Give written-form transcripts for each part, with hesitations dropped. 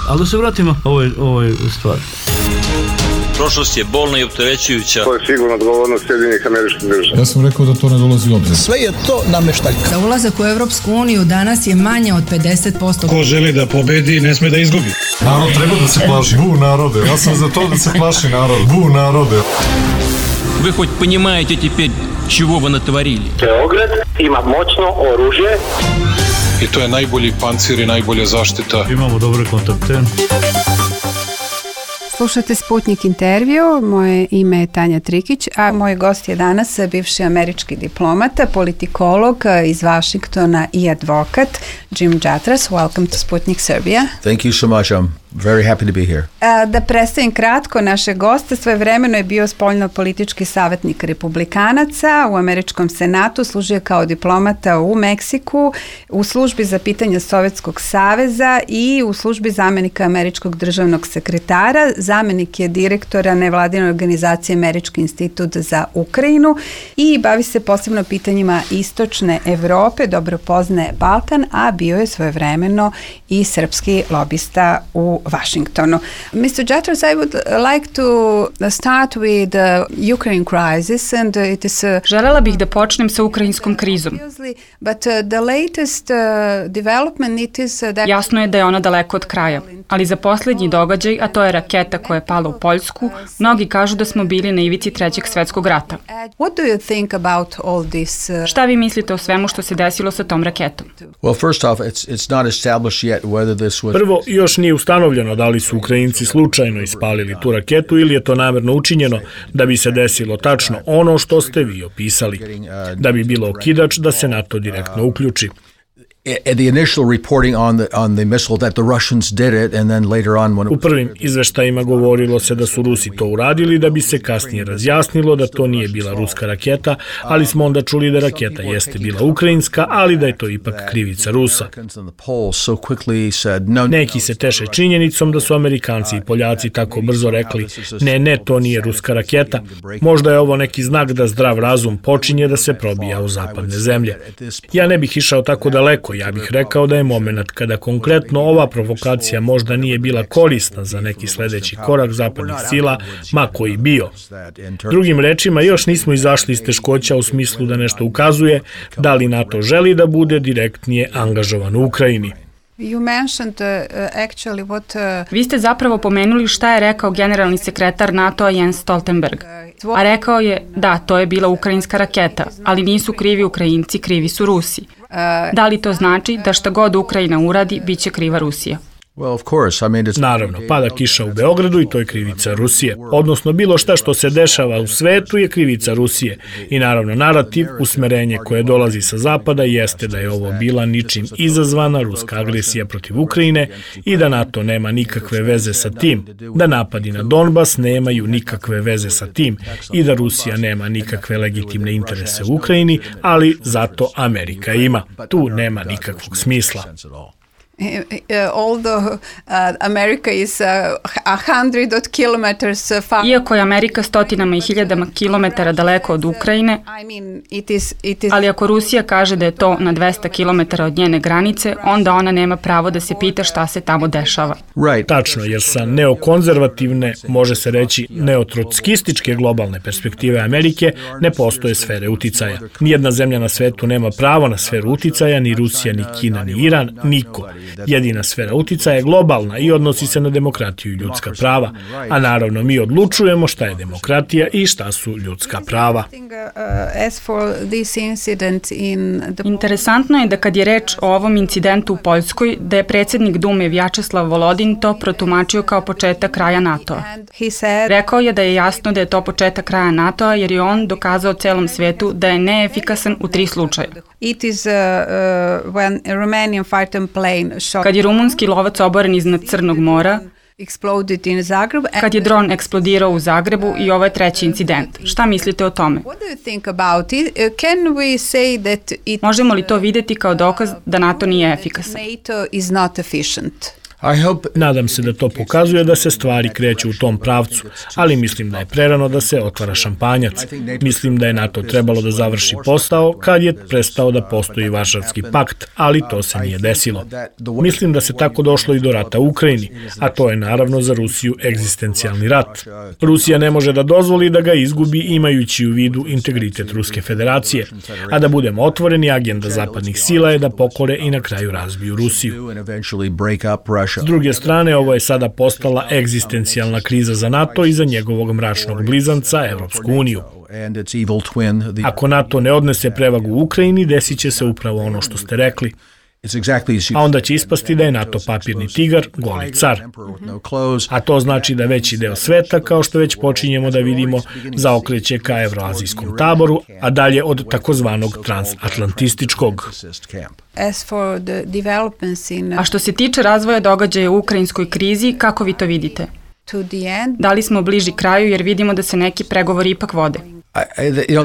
Ali da se vratimo ovoj stvari. Prošlost je bolna i opterećujuća. To je sigurno odgovornost Sjedinjenih Američkih Država. Ja sam rekao da to ne dolazi u obzir. Sve je to nameštaljka. Za ulazak u Evropsku uniju danas je manje od 50%. Ko želi da pobedi, ne sme da izgubi. Narod treba da se plaši. Bu narode. Ja sam za to da se plaši narod. Bu narode. Вы хоть понимаете теперь, чего вы натворили? Beograd ima moćno oružje. I to je najbolji pancir i najbolja zaštita. Imamo dobre kontakte. Slušate Sputnik intervju, moje ime je Tanja Trikić, a moj gost je danas bivši američki diplomata, politikolog iz Vašingtona i advokat, Jim Jatras. Welcome to Sputnik Serbia. Thank you so much. I'm very happy to be here. Da predstavim kratko našeg gosta, svojevremeno je bio spoljno-politički savjetnik republikanaca u Američkom senatu, služio kao diplomata u Meksiku, u službi za pitanja Sovjetskog saveza i u službi zamenika američkog državnog sekretara. Zamenik je direktora nevladine organizacije Američki institut za Ukrajinu i bavi se posebno pitanjima istočne Evrope, dobro poznaje Balkan, a bio je svojevremeno i srpski lobista u Washingtonu. Mr. Jatras, I would like to start with the Ukraine crisis and it is Želela bih da počnem sa ukrajinskom krizom. But the latest development it is that Jasno je da je ona daleko od kraja, ali za posljednji događaj, a to je raketa koja je pala u Poljsku, mnogi kažu da smo bili na ivici Trećeg svjetskog rata. What do you think about all this? Šta vi mislite o svemu što se desilo sa tom raketom? Well, first off, it's not established yet whether this was... Prvo, još nije ustanovljeno da li su Ukrajinci slučajno ispalili tu raketu ili je to namerno učinjeno da bi se desilo tačno ono što ste vi opisali, da bi bilo okidač da se NATO direktno uključi. The initial reporting on the missile that the Russians did it and then later on when U prvim izveštajima govorilo se da su Rusi to uradili, da bi se kasnije razjasnilo da to nije bila ruska raketa, ali smo onda čuli da raketa jeste bila ukrajinska, ali da je to ipak krivica Rusa. Neki se teše činjenicom da su Amerikanci i Poljaci tako brzo rekli ne, to nije ruska raketa. Možda je ovo neki znak da zdrav razum počinje da se probija u zapadne zemlje. Ja ne bih išao tako daleko. Ja bih rekao da je moment kada konkretno ova provokacija možda nije bila korisna za neki sledeći korak zapadnih sila, ma koji bio. Drugim rečima, još nismo izašli iz teškoća u smislu da nešto ukazuje da li NATO želi da bude direktnije angažovan u Ukrajini. Vi ste zapravo pomenuli šta je rekao generalni sekretar NATO-a Jens Stoltenberg. A rekao je, da, to je bila ukrajinska raketa, ali nisu krivi Ukrajinci, krivi su Rusi. Da li to znači da šta god Ukrajina uradi, bit će kriva Rusija? Naravno, pada kiša u Beogradu i to je krivica Rusije. Odnosno, bilo šta što se dešava u svetu je krivica Rusije. I naravno, narativ, usmerenje koje dolazi sa zapada jeste da je ovo bila ničim izazvana ruska agresija protiv Ukrajine i da NATO nema nikakve veze sa tim, da napadi na Donbas nemaju nikakve veze sa tim i da Rusija nema nikakve legitimne interese u Ukrajini, ali zato Amerika ima. Tu nema nikakvog smisla. Although America is 100 kilometers far. Iako je Amerika stotinama i hiljadama kilometara daleko od Ukrajine, ali ako Rusija kaže da je to na 200 kilometara od njene granice, onda ona nema pravo da se pita šta se tamo dešava. Tačno, jer sa neokonzervativne, može se reći neotrockističke globalne perspektive Amerike ne postoje sfere uticaja. Nijedna zemlja na svetu nema pravo na sferu uticaja, ni Rusija, ni Kina, ni Iran, niko. Jedina sfera uticaja je globalna i odnosi se na demokratiju i ljudska prava, a naravno mi odlučujemo šta je demokratija i šta su ljudska prava. Interesantno je da kad je reč o ovom incidentu u Poljskoj, da je predsjednik Dume Vjačeslav Volodin to protumačio kao početak kraja NATO-a. Rekao je da je jasno da je to početak kraja NATO-a jer je on dokazao celom svetu da je neefikasan u 3 slučaja. Kad je rumunski lovac oboren iznad Crnog mora, kad je dron eksplodirao u Zagrebu i ovo je 3. incident. Šta mislite o tome? Možemo li to vidjeti kao dokaz da NATO nije efikasan? Nadam se da to pokazuje da se stvari kreću u tom pravcu, ali mislim da je prerano da se otvara šampanjac. Mislim da je NATO trebalo da završi posao kad je prestao da postoji Varšavski pakt, ali to se nije desilo. Mislim da se tako došlo i do rata u Ukrajini, a to je naravno za Rusiju egzistencijalni rat. Rusija ne može da dozvoli da ga izgubi imajući u vidu integritet Ruske federacije, a da budemo otvoreni, agenda zapadnih sila je da pokore i na kraju razbiju Rusiju. S druge strane, ovo je sada postala egzistencijalna kriza za NATO i za njegovog mračnog blizanca, Evropsku uniju. Ako NATO ne odnese prevagu u Ukrajini, desit će se upravo ono što ste rekli. A onda će ispasti da je NATO papirni tigar, goli car. A to znači da veći deo sveta, kao što već počinjemo da vidimo, zaokreće ka evroazijskom taboru, a dalje od takozvanog transatlantističkog. A što se tiče razvoja događaja u ukrajinskoj krizi, kako vi to vidite? Da li smo bliži kraju jer vidimo da se neki pregovori ipak vode?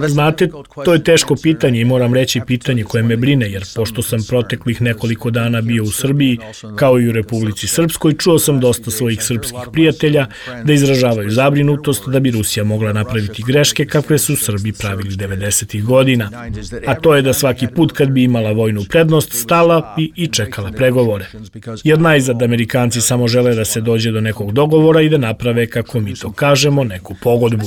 Znate, to je teško pitanje i moram reći pitanje koje me brine, jer pošto sam proteklih nekoliko dana bio u Srbiji, kao i u Republici Srpskoj, čuo sam dosta svojih srpskih prijatelja da izražavaju zabrinutost da bi Rusija mogla napraviti greške kakve su Srbi pravili 90. godina. A to je da svaki put kad bi imala vojnu prednost, stala bi i čekala pregovore. Jer najzad Amerikanci samo žele da se dođe do nekog dogovora i da naprave, kako mi to kažemo, neku pogodbu.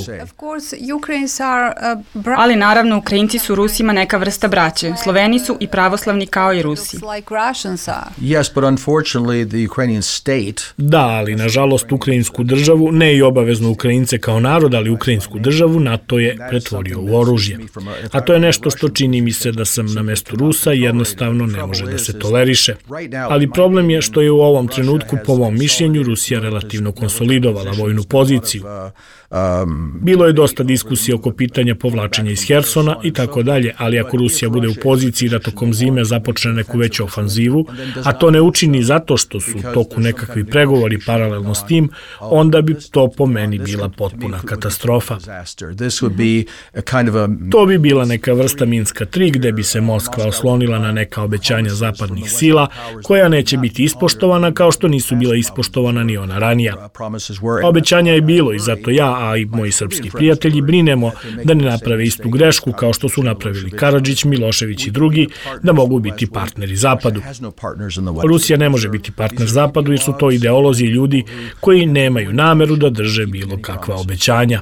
Ali naravno, Ukrajinci su Rusima neka vrsta braće. Sloveni su i pravoslavni kao i Rusi. Da, ali nažalost ukrajinsku državu, ne i obavezno Ukrajince kao narod, ali ukrajinsku državu NATO je pretvorio u oružje. A to je nešto što čini mi se da sam na mestu Rusa i jednostavno ne može da se toleriše. Ali problem je što je u ovom trenutku, po mom mišljenju, Rusija relativno konsolidovala vojnu poziciju. Bilo je dosta diskusije oko pitanja povlačenja iz Hersona i tako dalje, ali ako Rusija bude u poziciji da tokom zime započne neku veću ofanzivu, a to ne učini zato što su u toku nekakvi pregovori paralelno s tim, onda bi to po meni bila potpuna katastrofa. To bi bila neka vrsta Minska 3 gde bi se Moskva oslonila na neka obećanja zapadnih sila koja neće biti ispoštovana kao što nisu bila ispoštovana ni ona ranija. Obećanja je bilo i zato ja, a i moji srpski prijatelji brinemo da ne naprave istu grešku kao što su napravili Karadžić, Milošević i drugi, da mogu biti partneri Zapadu. Rusija ne može biti partner Zapadu jer su to ideolozi i ljudi koji nemaju nameru da drže bilo kakva obećanja.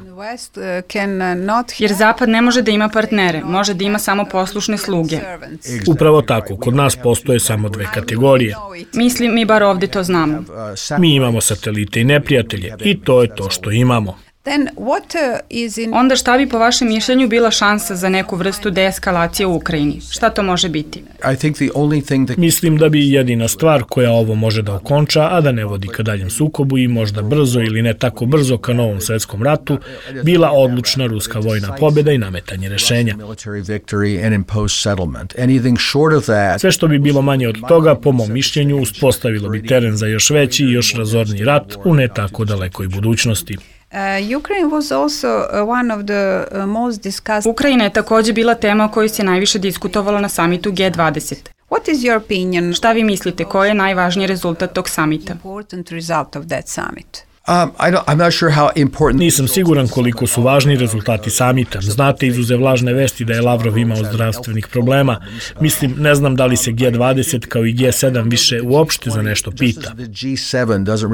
Jer Zapad ne može da ima partnere, može da ima samo poslušne sluge. Upravo tako, kod nas postoje samo dve kategorije. Mislim, mi bar ovde to znamo. Mi imamo satelite i neprijatelje i to je to što imamo. Onda šta bi po vašem mišljenju bila šansa za neku vrstu deeskalacije u Ukrajini? Šta to može biti? Mislim da bi jedina stvar koja ovo može da okonča, a da ne vodi ka daljem sukobu i možda brzo ili ne tako brzo ka novom svetskom ratu, bila odlučna ruska vojna pobjeda i nametanje rešenja. Sve što bi bilo manje od toga, po mom mišljenju, uspostavilo bi teren za još veći i još razorniji rat u ne tako dalekoj budućnosti. Ukrajina je takođe bila tema o kojoj se najviše diskutovalo na samitu G20. Šta vi mislite, koji je najvažniji rezultat tog samita? Nisam siguran koliko su važni rezultati samita. Znate, izuzev lažne vesti da je Lavrov imao zdravstvenih problema. Mislim, ne znam da li se G20 kao i G7 više uopšte za nešto pita.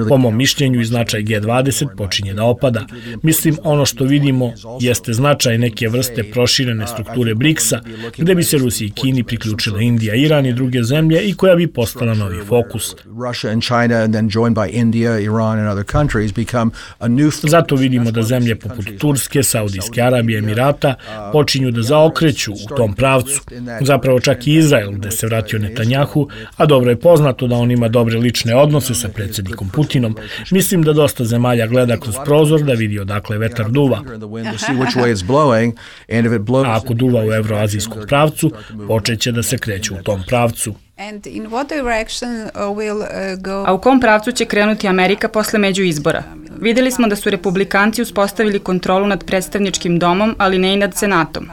Po mom mišljenju i značaj G20 počinje da opada. Mislim, ono što vidimo jeste značaj neke vrste proširene strukture BRICS-a, gde bi se Rusiji i Kini priključile Indija, Iran i druge zemlje i koja bi postala novi fokus. Zato vidimo da zemlje poput Turske, Saudijske Arabije, Emirata počinju da zaokreću u tom pravcu. Zapravo čak i Izrael, gde se vratio Netanjahu, a dobro je poznato da on ima dobre lične odnose sa predsjednikom Putinom. Mislim da dosta zemalja gleda kroz prozor da vidi odakle vetar duva. A ako duva u evroazijskom pravcu, počeće da se kreću u tom pravcu. A u kom pravcu će krenuti Amerika posle međuizbora? Videli smo da su republikanci uspostavili kontrolu nad predstavničkim domom, ali ne i nad senatom.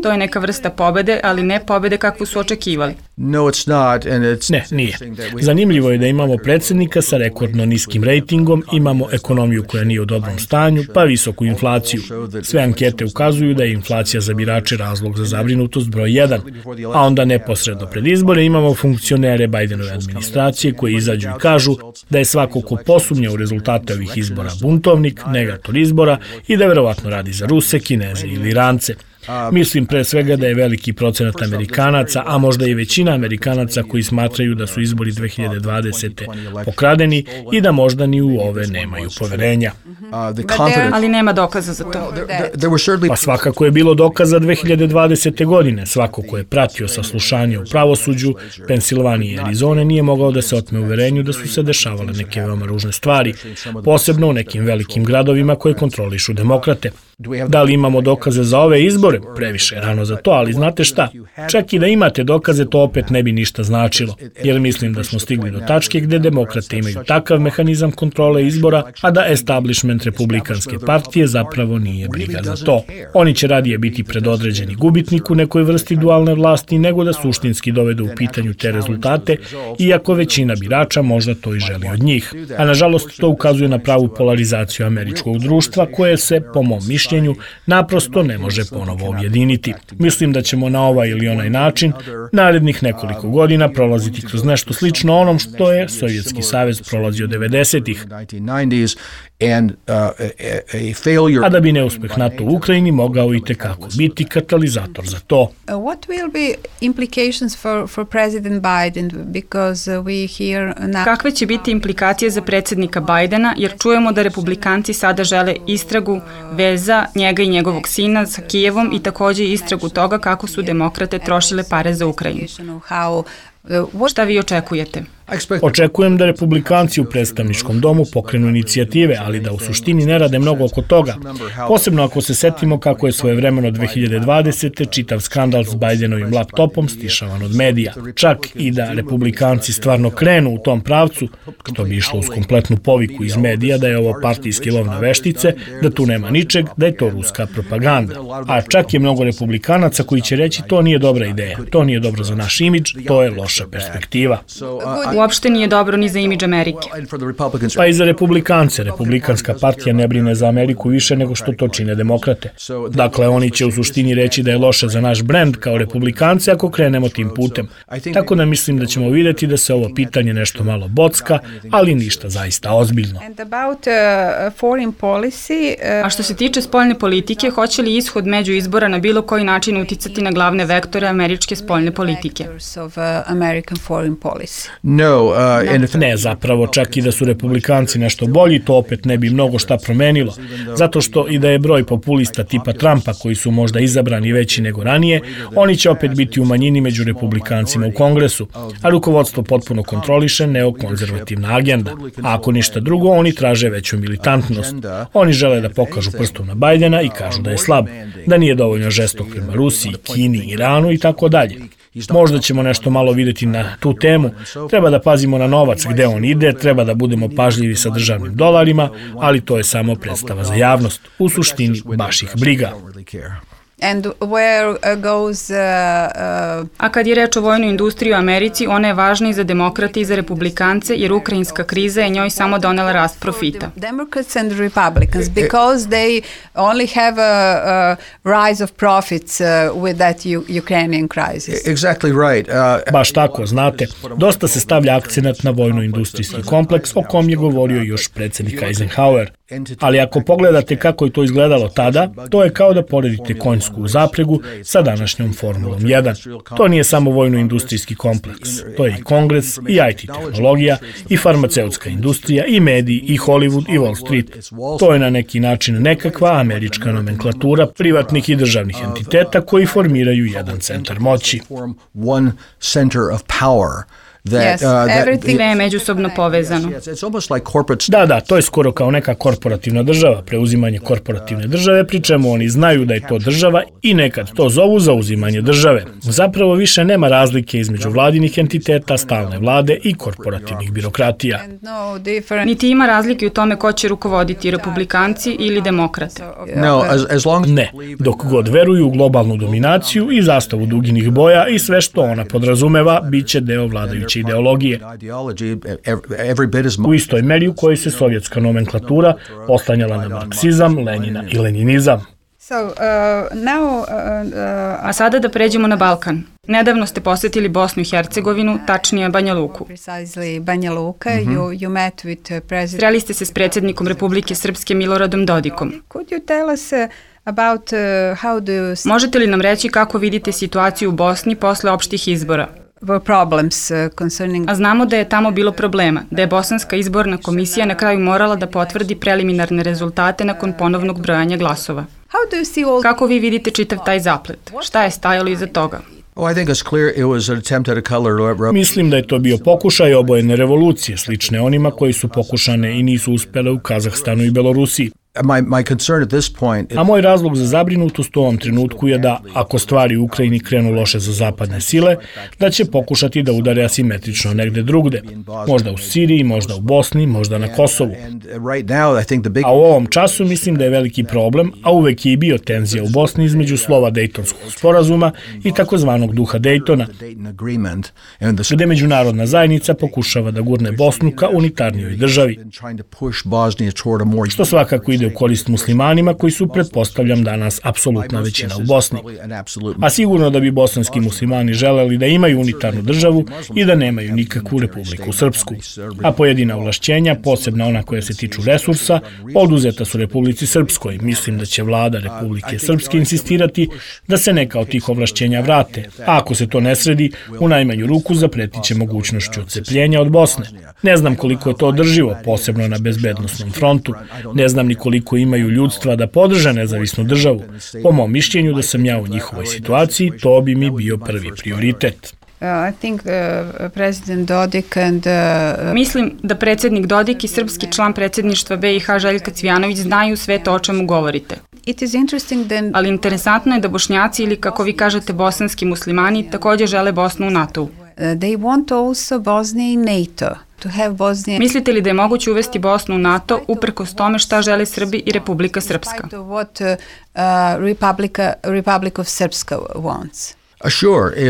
To je neka vrsta pobede, ali ne pobede kakvu su očekivali. Ne, nije. Zanimljivo je da imamo predsjednika sa rekordno niskim rejtingom, imamo ekonomiju koja nije u dobrom stanju, pa visoku inflaciju. Sve ankete ukazuju da je inflacija za birače razlog za zabrinutost broj 1, a onda neposredno pred izbore imamo funkcionere Bidenove administracije koji izađu i kažu da je svako ko posumnja u rezultate ovih izbora buntovnik, negator izbora i da verovatno radi za Ruse, Kineze ili Irance. Mislim pre svega da je veliki procenat Amerikanaca, a možda i većina Amerikanaca koji smatraju da su izbori 2020. pokradeni i da možda ni u ove nemaju poverenja. Ali nema dokaza za to. Pa svakako je bilo dokaza 2020. godine. Svako ko je pratio saslušanje u pravosuđu Pensilvanije i Arizone nije mogao da se otme uverenju da su se dešavale neke veoma ružne stvari, posebno u nekim velikim gradovima koje kontrolišu demokrate. Da li imamo dokaze za ove izbore? Previše je rano za to, ali znate šta? Čak i da imate dokaze, to opet ne bi ništa značilo, jer mislim da smo stigli do tačke gde demokrate imaju takav mehanizam kontrole izbora, a da establishment Republikanske partije zapravo nije briga za to. Oni će radije biti predodređeni gubitnik u nekoj vrsti dualne vlasti nego da suštinski dovedu u pitanju te rezultate, iako većina birača možda to i želi od njih. A nažalost to ukazuje na pravu polarizaciju američkog društva koje se, po mom mišljenju, naprosto ne može ponovo objediniti. Mislim da ćemo na ovaj ili onaj način narednih nekoliko godina prolaziti kroz nešto slično onom što je Sovjetski savez prolazio 90-ih. A da bi neuspeh NATO u Ukrajini mogao i tekako biti katalizator za to. What will be implications for President Biden because we hear now... Kakve će biti implikacije za predsjednika Bidena, jer čujemo da republikanci sada žele istragu veza njega i njegovog sina sa Kijevom i također istragu toga kako su demokrate trošile pare za Ukrajinu. Šta vi očekujete? Očekujem da republikanci u predstavničkom domu pokrenu inicijative, ali da u suštini ne rade mnogo oko toga. Posebno ako se setimo kako je svojevremeno 2020. čitav skandal s Bidenovim laptopom stišavan od medija. Čak i da republikanci stvarno krenu u tom pravcu, što bi išlo uz kompletnu poviku iz medija da je ovo partijski lov na veštice, da tu nema ničeg, da je to ruska propaganda. A čak je mnogo republikanaca koji će reći to nije dobra ideja, to nije dobro za naš imidž, to je loša perspektiva. Uopšte nije dobro ni za imidž Amerike. Pa i za republikance. Republikanska partija ne brine za Ameriku više nego što to čine demokrate. Dakle, oni će u suštini reći da je loše za naš brend kao republikance ako krenemo tim putem. Tako da mislim da ćemo vidjeti da se ovo pitanje nešto malo bocka, ali ništa zaista ozbiljno. A što se tiče spoljne politike, hoće li ishod među izbora na bilo koji način uticati na glavne vektore američke spoljne politike? Ne, zapravo čak i da su republikanci nešto bolji, to opet ne bi mnogo šta promenilo. Zato što i da je broj populista tipa Trumpa koji su možda izabrani veći nego ranije, oni će opet biti u manjini među republikancima u Kongresu, a rukovodstvo potpuno kontroliše neokonzervativna agenda. A ako ništa drugo, oni traže veću militantnost. Oni žele da pokažu prstom na Bidena i kažu da je slab, da nije dovoljno žestok prema Rusiji, Kini, Iranu i tako dalje. Možda ćemo nešto malo vidjeti na tu temu. Treba da pazimo na novac gde on ide, treba da budemo pažljivi sa državnim dolarima, ali to je samo predstava za javnost. U suštini baš ih briga. A kad je reč o vojnoj industriji u Americi, ona je važna i za demokrate i za republikance, jer ukrajinska kriza je njoj samo donela rast profita. Democrats and Republicans, because they only have a rise of profits with that Ukrainian crisis. Exactly right. Baš tako, znate, dosta se stavlja akcenat na vojno-industrijski kompleks o kom je govorio još predsjednik Eisenhower. Ali ako pogledate kako je to izgledalo tada, to je kao da poredite konjsku zapregu sa današnjom Formulom 1. To nije samo vojno-industrijski kompleks. To je i Kongres, i IT tehnologija, i farmaceutska industrija, i mediji, i Hollywood, i Wall Street. To je na neki način nekakva američka nomenklatura privatnih i državnih entiteta koji formiraju jedan centar moći. Sve je međusobno povezano. Da, to je skoro kao neka korporativna država, preuzimanje korporativne države, pri čemu oni znaju da je to država i nekad to zovu zauzimanje države. Zapravo više nema razlike između vladinih entiteta, stalne vlade i korporativnih birokratija. Niti ima razlike u tome ko će rukovoditi, republikanci ili demokrate. Ne, dok god veruju u globalnu dominaciju i zastavu duginih boja i sve što ona podrazumeva, bit će deo vladajuće ideologije. U istoj meri u kojoj se sovjetska nomenklatura oslanjala na marksizam, Lenina i leninizam. A sada da pređemo na Balkan. Nedavno ste posetili Bosnu i Hercegovinu, tačnije Banja Luku. Sreli ste se s predsjednikom Republike Srpske Miloradom Dodikom. Možete li nam reći kako vidite situaciju u Bosni posle opštih izbora? A znamo da je tamo bilo problema, da je Bosanska izborna komisija na kraju morala da potvrdi preliminarne rezultate nakon ponovnog brojanja glasova. Kako vi vidite čitav taj zaplet? Šta je stajalo iza toga? Mislim da je to bio pokušaj obojene revolucije, slične onima koji su pokušane i nisu uspele u Kazahstanu i Belorusiji. A moj razlog za zabrinutost u ovom trenutku je da, ako stvari u Ukrajini krenu loše za zapadne sile, da će pokušati da udare asimetrično negde drugde. Možda u Siriji, možda u Bosni, možda na Kosovu. A u ovom času mislim da je veliki problem, a uvek je i bio tenzija u Bosni između slova Dejtonskog sporazuma i takozvanog duha Dejtona, gde međunarodna zajednica pokušava da gurne Bosnu ka unitarnijoj državi, što svakako ide u korist muslimanima koji su, pretpostavljam, danas apsolutna većina u Bosni. A sigurno da bi bosanski muslimani želeli da imaju unitarnu državu i da nemaju nikakvu Republiku Srpsku. A pojedina ovlašćenja, posebno ona koja se tiču resursa, oduzeta su Republici Srpskoj. Mislim da će vlada Republike Srpske insistirati da se neka od tih ovlašćenja vrate. A ako se to ne sredi, u najmanju ruku zapretiće mogućnošću odcepljenja od Bosne. Ne znam koliko je to održivo, posebno na bezbednosnom frontu. Ne znam ni koliko imaju ljudstva da podrže nezavisnu državu. Po mom mišljenju da sam ja u njihovoj situaciji, to bi mi bio prvi prioritet. Mislim da predsjednik Dodik i srpski član predsjedništva BiH Željka Cvijanović znaju sve to o čemu govorite. Ali interesantno je da Bošnjaci ili, kako vi kažete, bosanski muslimani također žele Bosnu u NATO-u. Mislite li da je moguće uvesti Bosnu u NATO uprkos tome šta žele Srbi i Republika Srpska?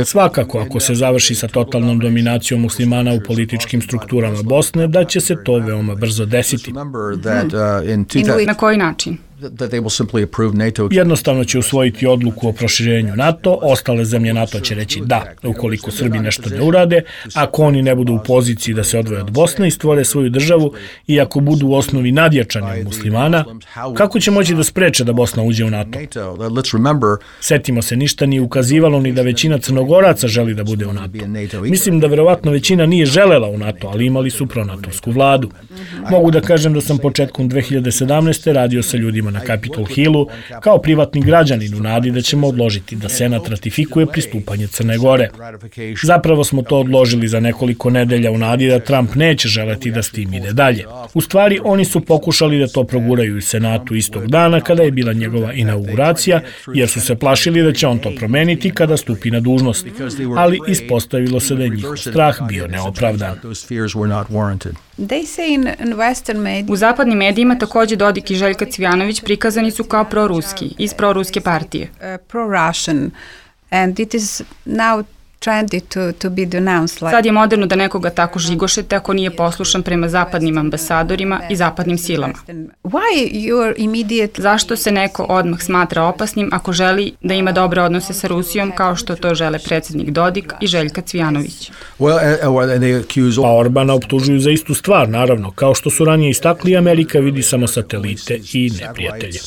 Svakako, ako se završi sa totalnom dominacijom muslimana u političkim strukturama Bosne, da će se to veoma brzo desiti. Na koji način? Jednostavno će usvojiti odluku o proširenju NATO, ostale zemlje NATO će reći da, ukoliko Srbi nešto ne urade, ako oni ne budu u poziciji da se odvoje od Bosne i stvore svoju državu i ako budu u osnovi nadjačani muslimana, kako će moći da spreče da Bosna uđe u NATO? Setimo se, ništa nije ukazivalo ni da većina Crnogoraca želi da bude u NATO. Mislim da verovatno većina nije želela u NATO, ali imali su pronatovsku vladu. Mogu da kažem da sam početkom 2017. radio sa ljudima na Capitol Hillu kao privatni građanin u nadi da ćemo odložiti da Senat ratifikuje pristupanje Crne Gore. Zapravo smo to odložili za nekoliko nedelja u nadi da Trump neće želeti da s tim ide dalje. U stvari, oni su pokušali da to proguraju u Senatu istog dana kada je bila njegova inauguracija, jer su se plašili da će on to promeniti kada stupi na dužnost. Ali ispostavilo se da je njihov strah bio neopravdan. U zapadnim medijima također Dodik i Željka Cvijanović prikazani su kao proruski, iz proruske partije. Sad je moderno da nekoga tako žigošete ako nije poslušan prema zapadnim ambasadorima i zapadnim silama. Zašto se neko odmah smatra opasnim ako želi da ima dobre odnose sa Rusijom kao što to žele predsjednik Dodik i Željka Cvijanović? Pa Orbana optužuju za istu stvar, naravno. Kao što su ranije istakli, Amerika vidi samo satelite i neprijatelje.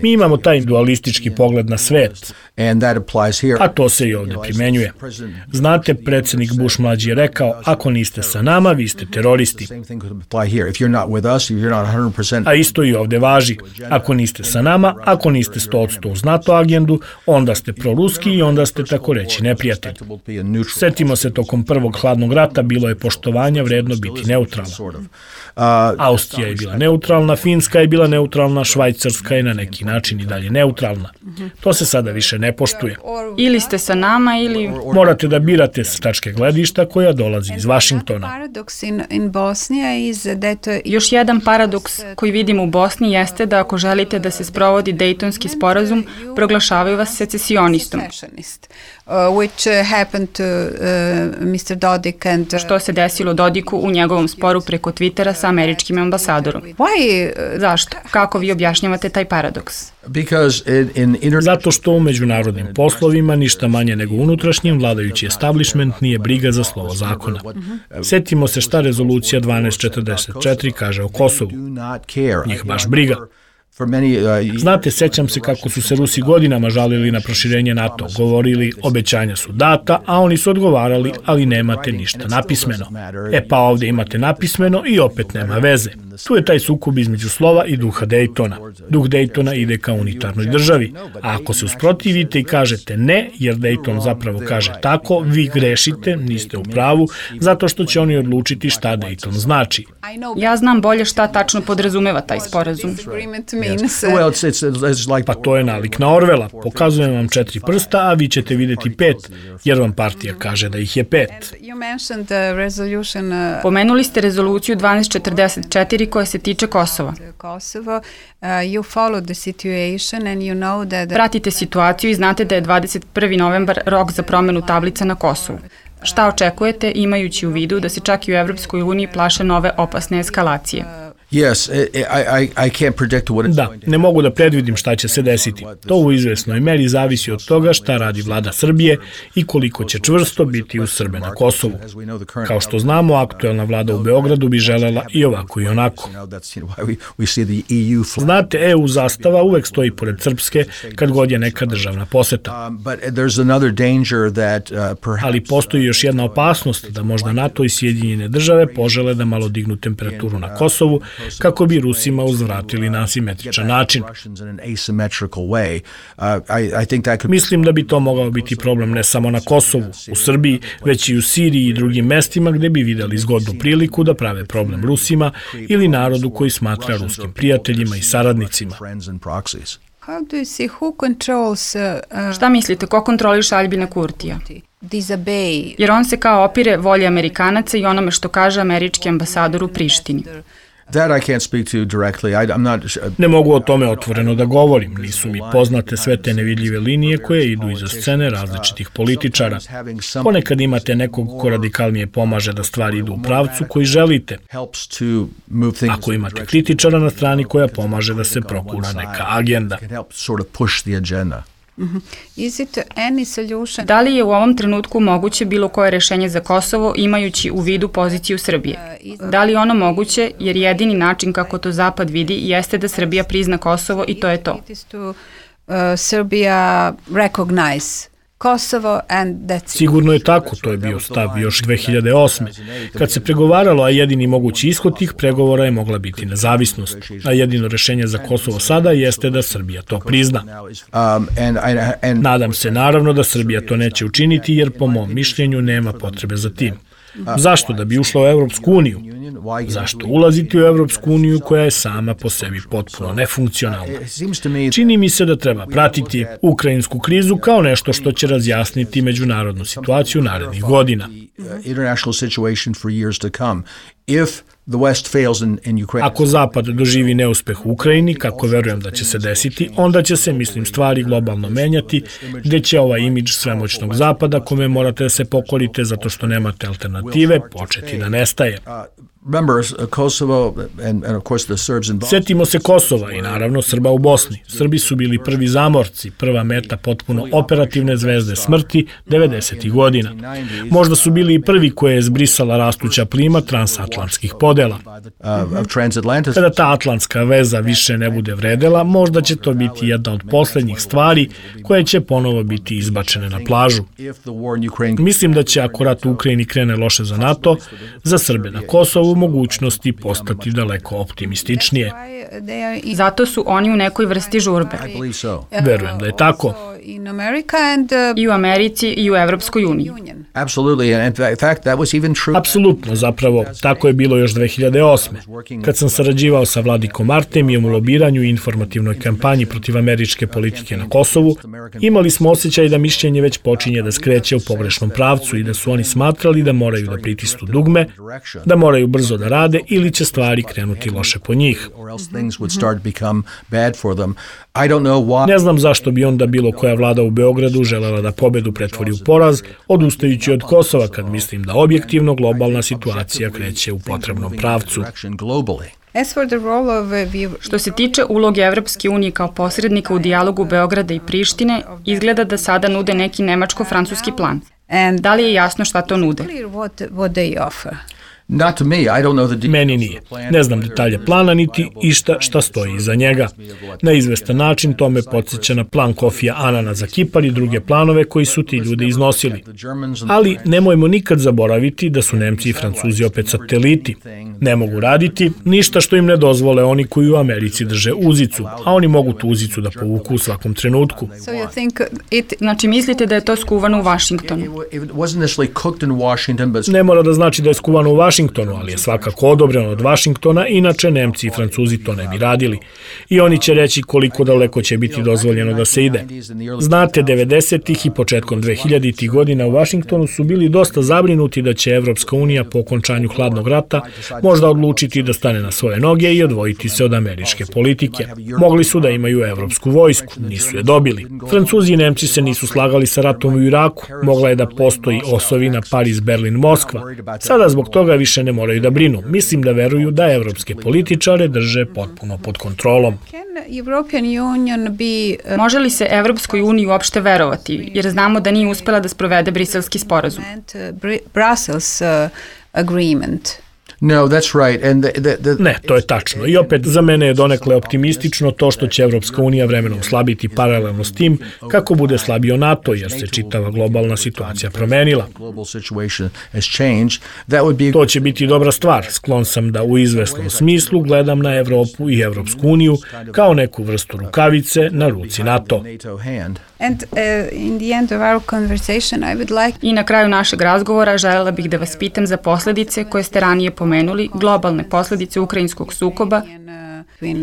Mi imamo taj dualistički pogled na svet, a to se i ovdje primenjuje. Znate, predsjednik Bush mlađi je rekao, ako niste sa nama, vi ste teroristi. A isto i ovde važi. Ako niste sa nama, ako niste 100% uz NATO agendu, onda ste proruski i onda ste tako reći neprijatelj. Setimo se, tokom prvog hladnog rata bilo je poštovanja vredno biti neutralna. Austrija je bila neutralna, Finska je bila neutralna, Švajcarska je na neki način i dalje neutralna. To se sada više ne poštuje. Ili ste sa nama ili... Morate da birate s tačke gledišta koja dolazi iz Vašingtona. Još jedan paradoks koji vidimo u Bosni jeste da ako želite da se sprovodi Dejtonski sporazum, proglašavaju vas secesionistom. Što se desilo Dodiku u njegovom sporu preko Twittera sa američkim ambasadorom. Zašto? Kako vi objašnjavate taj paradoks? Zato što u međunarodnim poslovima ništa manje nego unutrašnjim vladajući establishment nije briga za slovo zakona. Setimo se šta rezolucija 1244 kaže o Kosovu. Njih baš briga. Znate, sećam se kako su se Rusi godinama žalili na proširenje NATO, govorili obećanja su data, a oni su odgovarali, ali nemate ništa napismeno. Pa ovdje imate napismeno i opet nema veze. Tu je taj sukob između slova i duha Dejtona. Duh Dejtona ide ka unitarnoj državi, a ako se usprotivite i kažete ne, jer Dejton zapravo kaže tako, vi grešite, niste u pravu, zato što će oni odlučiti šta Dejton znači. Ja znam bolje šta tačno podrazumeva taj sporazum. Pa to je nalik na Orvela. Pokazujem vam 4 prsta, a vi ćete vidjeti 5, jer vam partija kaže da ih je 5. Pomenuli ste rezoluciju 1244 koja se tiče Kosova. Pratite situaciju i znate da je 21. novembar rok za promenu tablica na Kosovu. Šta očekujete imajući u vidu da se čak i u Evropskoj uniji plaše nove opasne eskalacije? Da, ne mogu da predvidim šta će se desiti. To u izvesnoj meri zavisi od toga šta radi vlada Srbije i koliko će čvrsto biti uz Srbe na Kosovu. Kao što znamo, aktuelna vlada u Beogradu bi želela i ovako i onako. Znate, EU zastava uvek stoji pored srpske kad god je neka državna poseta. Ali postoji još jedna opasnost da možda NATO i Sjedinjene države požele da malo dignu temperaturu na Kosovu kako bi Rusima uzvratili na asimetričan način. Mislim da bi to mogao biti problem ne samo na Kosovu, u Srbiji, već i u Siriji i drugim mestima gde bi videli zgodnu priliku da prave problem Rusima ili narodu koji smatra ruskim prijateljima i saradnicima. Šta mislite, ko kontroliše Aljbina Kurtija? Jer on se kao opire volji Amerikanaca i onome što kaže američki ambasador u Prištini. Ne mogu o tome otvoreno da govorim. Nisu mi poznate sve te nevidljive linije koje idu iza scene različitih političara. Ponekad imate nekog ko radikalnije pomaže da stvari idu u pravcu koji želite. Ako imate kritičara na strani koja pomaže da se prokura neka agenda. Da li je u ovom trenutku moguće bilo koje rešenje za Kosovo imajući u vidu poziciju Srbije? Da li je ono moguće jer jedini način kako to Zapad vidi jeste da Srbija prizna Kosovo i to je to? Sigurno je tako, to je bio stav još 2008. Kad se pregovaralo, a jedini mogući ishod tih pregovora je mogla biti nezavisnost. A jedino rešenje za Kosovo sada jeste da Srbija to prizna. Nadam se naravno da Srbija to neće učiniti jer po mom mišljenju nema potrebe za tim. Zašto? Da bi ušla u Evropsku uniju. Zašto ulaziti u Evropsku uniju koja je sama po sebi potpuno nefunkcionalna? Čini mi se da treba pratiti ukrajinsku krizu kao nešto što će razjasniti međunarodnu situaciju narednih godina. Ako Zapad doživi neuspeh u Ukrajini, kako verujem da će se desiti, onda će se, mislim, stvari globalno menjati, gde će ovaj imidž svemoćnog Zapada, kome morate da se pokorite zato što nemate alternative, početi da nestaje. Setimo se Kosova i naravno Srba u Bosni. Srbi su bili prvi zamorci, prva meta potpuno operativne zvezde smrti 90. godina. Možda su bili i prvi koje je zbrisala rastuća plima transatlantskih podela. Kada ta atlantska veza više ne bude vredela, možda će to biti jedna od poslednjih stvari koje će ponovo biti izbačene na plažu. Mislim da će, ako rat u Ukrajini krene loše za NATO, za Srbe na Kosovu mogućnosti postati daleko optimističnije. Zato su oni u nekoj vrsti žurbe. Verujem da je tako. I u Americi i u Evropskoj uniji. Apsolutno, zapravo, tako je bilo još 2008. Kad sam sarađivao sa Vladikom Artemijem u lobiranju i informativnoj kampanji protiv američke politike na Kosovu, imali smo osjećaj da mišljenje već počinje da skreće u pogrešnom pravcu i da su oni smatrali da moraju da pritisnu dugme, da moraju brzo da rade ili će stvari krenuti loše po njih. Ne znam zašto bi onda bilo koja vlada u Beogradu želela da pobedu pretvori u poraz, odustajući od Kosova kad mislim da objektivno globalna situacija kreće u potrebnom pravcu. Što se tiče uloge Evropske unije kao posrednika u dijalogu Beograda i Prištine, izgleda da sada nude neki nemačko-francuski plan. Da li je jasno šta to nude? Meni nije. Ne znam detalje plana niti išta šta stoji iza njega. Na izvestan način to me podsjeća na plan Kofija Anana za Kipar i druge planove koji su ti ljudi iznosili. Ali nemojmo nikad zaboraviti da su Nemci i Francuzi opet sateliti. Ne mogu raditi ništa što im ne dozvole oni koji u Americi drže uzicu, a oni mogu tu uzicu da povuku u svakom trenutku. Znači mislite da je to skuvano u Vašingtonu? Ne mora da znači da je skuvano u Vašingtonu, ali je svakako odobreno od Vašingtona, inače Nemci i Francuzi to ne bi radili. I oni će reći koliko daleko će biti dozvoljeno da se ide. Znate, 90-ih i početkom 2000-ih godina u Vašingtonu su bili dosta zabrinuti da će Evropska unija po okončanju hladnog rata možda odlučiti da stane na svoje noge i odvojiti se od američke politike. Mogli su da imaju evropsku vojsku, nisu je dobili. Francuzi i Nemci se nisu slagali sa ratom u Iraku, mogla je da postoji osovina Pariz, Berlin, Moskva. Sada zbog toga više ne moraju da brinu. Mislim da veruju da evropske političare drže potpuno pod kontrolom. Može li se Evropskoj uniji uopšte verovati, jer znamo da nije uspela da sprovede Briselski sporazum? Ne, to je tačno. I opet, za mene je donekle optimistično to što će Evropska unija vremenom slabiti paralelno s tim kako bude slabio NATO, jer se čitava globalna situacija promenila. To će biti dobra stvar. Sklon sam da u izvesnom smislu gledam na Evropu i Evropsku uniju kao neku vrstu rukavice na ruci NATO. I na kraju našeg razgovora želela bih da vas pitam za posledice koje ste ranije pomenuli, globalne posledice ukrajinskog sukoba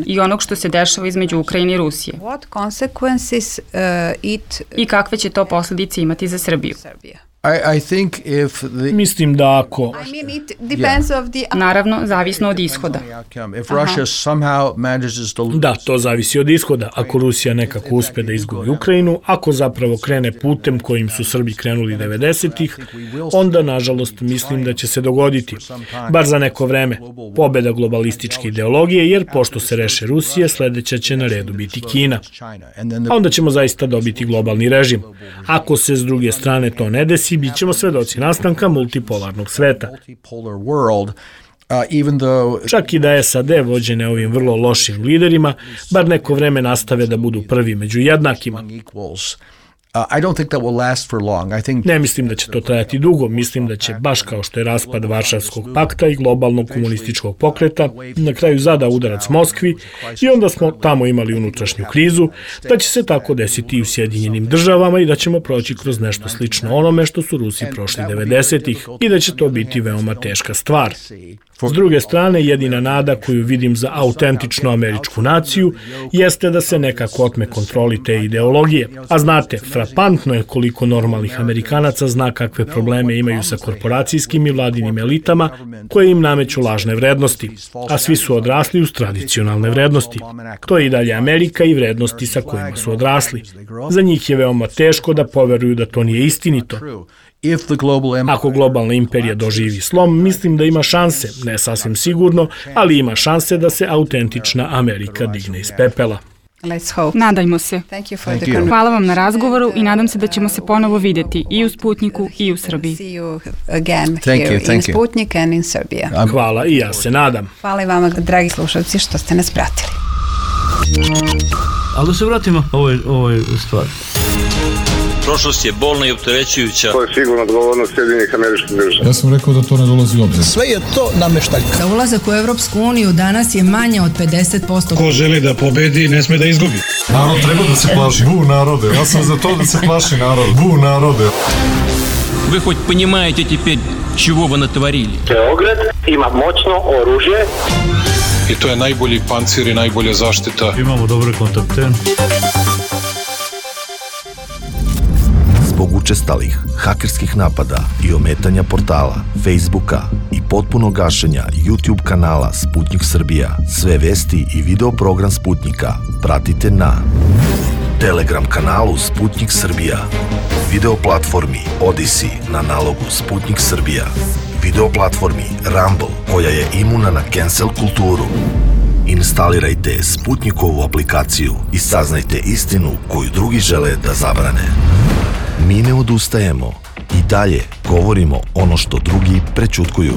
i onog što se dešava između Ukrajine i Rusije. I kakve će to posledice imati za Srbiju? Mislim da ako... Naravno, zavisno od ishoda. Da, to zavisi od ishoda. Ako Rusija nekako uspe da izgubi Ukrajinu, ako zapravo krene putem kojim su Srbi krenuli 90-ih, onda, nažalost, mislim da će se dogoditi. Bar za neko vreme. Pobeda globalističke ideologije, jer pošto se reše Rusije, sledeća će na redu biti Kina. A onda ćemo zaista dobiti globalni režim. Ako se s druge strane to ne desi, bit ćemo svedoci nastanka multipolarnog sveta. Čak i da SAD vođene ovim vrlo lošim liderima, bar neko vreme nastave da budu prvi među jednakima. Ne mislim da će to trajati dugo, mislim da će, baš kao što je raspad Varšavskog pakta i globalnog komunističkog pokreta, na kraju zada udarac Moskvi i onda smo tamo imali unutrašnju krizu, da će se tako desiti i u Sjedinjenim državama i da ćemo proći kroz nešto slično onome što su Rusi prošli 90-ih i da će to biti veoma teška stvar. S druge strane, jedina nada koju vidim za autentičnu američku naciju jeste da se nekako otme kontroli te ideologije. A znate, frapantno je koliko normalnih Amerikanaca zna kakve probleme imaju sa korporacijskim i vladinim elitama koje im nameću lažne vrednosti, a svi su odrasli uz tradicionalne vrednosti. To je i dalje Amerika i vrednosti sa kojima su odrasli. Za njih je veoma teško da poveruju da to nije istinito. Ako globalna imperija doživi slom, mislim da ima šanse, ne sasvim sigurno, ali ima šanse da se autentična Amerika digne iz pepela. Nadajmo se. Hvala vam na razgovoru i nadam se da ćemo se ponovo vidjeti i u Sputniku i u Srbiji. Hvala i ja se nadam. Hvala i vama, dragi slušalci, što ste nas pratili. Ali da se vratimo ovoj stvari. Prošlost je bolna i opterećujuća. To je sigurno odgovornost Sjedinjenih Američkih Država. Ja sam rekao da to ne dolazi u obzir. Sve je to nameštaljka. Za ulazak u Evropsku uniju danas je manje od 50%. Ko želi da pobedi, ne sme da izgubi. Narod treba da se plaši. Bu narode, ja sam za to da se plaši narod. Bu narode. Вы хоть понимаете теперь, чего вы натворили? Beograd ima moćno oružje. I to je najbolji pancir i najbolja zaštita. Imamo dobre kontakte. Zbog učestalih hakerskih napada i ometanja portala, Facebooka i potpunog gašenja YouTube kanala Sputnik Srbija, sve vesti i video program Sputnika pratite na Telegram kanalu Sputnik Srbija, video platformi Odyssey na nalogu Sputnik Srbija, video platformi Rumble koja je imuna na cancel kulturu. Instalirajte Sputnikovu aplikaciju i saznajte istinu koju drugi žele da zabrane. Mi ne odustajemo i dalje govorimo ono što drugi prećutkuju.